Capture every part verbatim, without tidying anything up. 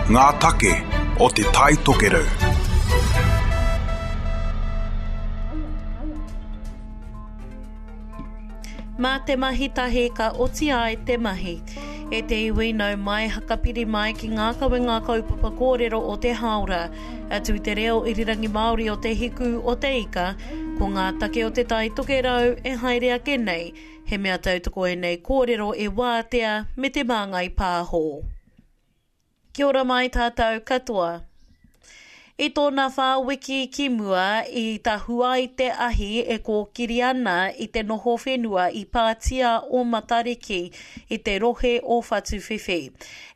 Ngā take o Te Tai Tokerau. Mā te mahi tahi ka oti ai te mahi. E te iwi nau mai hakapiri mai ki ngā kawenga kaupapa kōrero o te hāora. Atu i te reo irirangi Māori o Te Hiku o Te Ika, ko ngā take o Te Tai Tokerau e haere ake nei, he mea tautoko ēnei kōrero e Wātea me Te Māngai Pāho. Kia ora mai tātou katoa. I tōna whā wiki ki mua i tahu ai te ahi e kōkiri ana i te noho whenua i pātia o Matariki i te rohe o Whatuwhiwhi.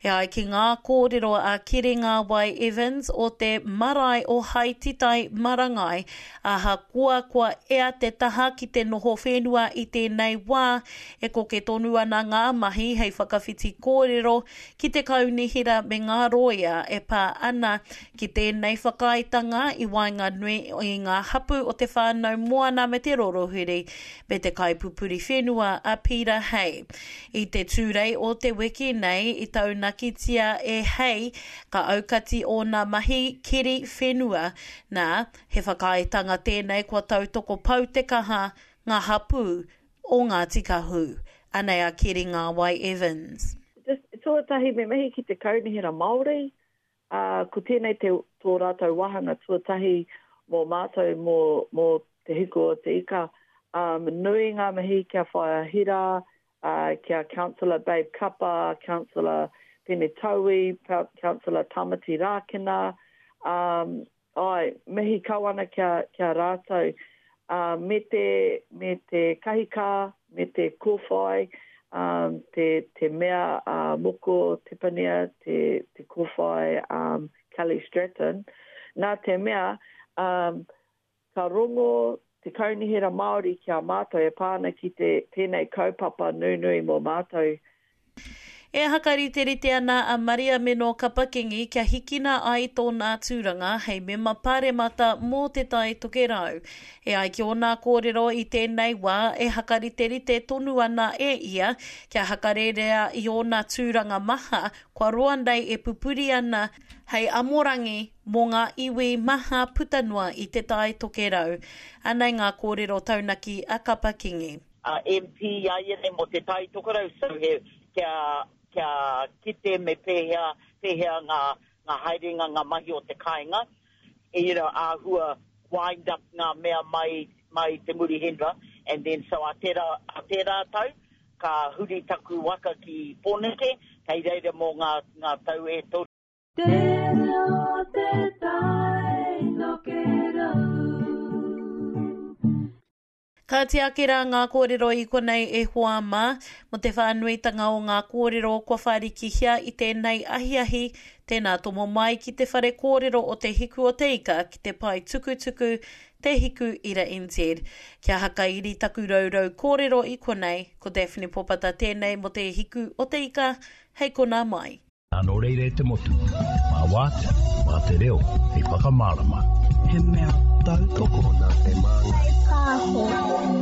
E ai ki ngā kōrero a Kiri Ngāwai Evans o te marae o Haititai Marangai, ahakoa kua ea te taha ki te noho whenua i tēnei wā, e koke tonu ana ngā mahi hei whakawhiti kōrero ki te kaunihera me ngā rōia e pā ana ki tēnei whakaaetanga i waenganui i ngā hapū o Te Whānau Moana me Te Rorohuri me te kaipupuri whenua a Peter Hay. I te Tūrei o te wiki nei i taunakitia e Hay ka aukati ōna mahi keri whenua, nā, he whakaaetanga tēnei kua tautoko pau te kaha ngā hapū o Ngāti Kahu. Anei a Keri Ngāwai Evans. Just, tuatahi me mihi ki te Kaunihera Māori, ā, ko tēnei te, tō rātou wāhanga tuatahi mō mātou mō, mō Te Hiku o Te Ika. Um, nui ngā mihi kia Whaea Hira, uh, kia Councillor Babe Kapa, Councillor Pene Taui, Councillor Tamati Rākena, um, Āe, mihi kau ana kia, kia rātou. Ā, me te, me te kahikā, me te kōwhai, ā, te, te mea, ā, Moko Tepania, te, te kōwhai, ā, Kelly Stratton. Nā te mea, ā, ka rongo te Kaunihera Māori ki a mātou e pā ana ki te, tēnei kaupapa nunui mō mātou. E hakariterite ana a Mariameno Kapa-Kingi kia hikina ai tōna tūranga hei mema paremata mō Te Tai Tokerau. E ai ki ōna kōrero i tēnei wā e hakariterite tonu ana e ia kia hakarērea i ōna tūranga maha kua roa nei e pupuri ana hei amorangi mō ngā iwi maha puta noa i Te Tai Tokerau. Anei ngā kōrero taunaki a Kapa-Kingi. A M P āianei mō Te Tai Tokerau, so he kia, kia kite me pēhea, pēhea ngā, ngā haerenga, ngā mahi o te kāinga, you know, āhua wind up ngā mea mai, mai te Murihenua, and then so a tērā, a tērā tau, ka huri taku waka ki Pōneke, kei reira mō ngā, ngā tau e toru. Te reo o te tai tokerau. Ka tiaki rā ngā kōrero i konei e hoa mā, mō te whānuitanga o ngā kōrero kua whārikihia i tēnei ahiahi, tēnā tomo mai ki te whare kōrero o Te Hiku o Te Ika ki te pae tukutuku Te Hiku Ira N Z. Kia hakairi taku rourou kōrero i konei, ko Daphne Popata tēnei mō Te Hiku o Te Ika, hei konā mai. Nā nō reira e te motu, mā Wātea, mā te reo hei whakamārama. He mea tautoko nā Te Māngai Pāho.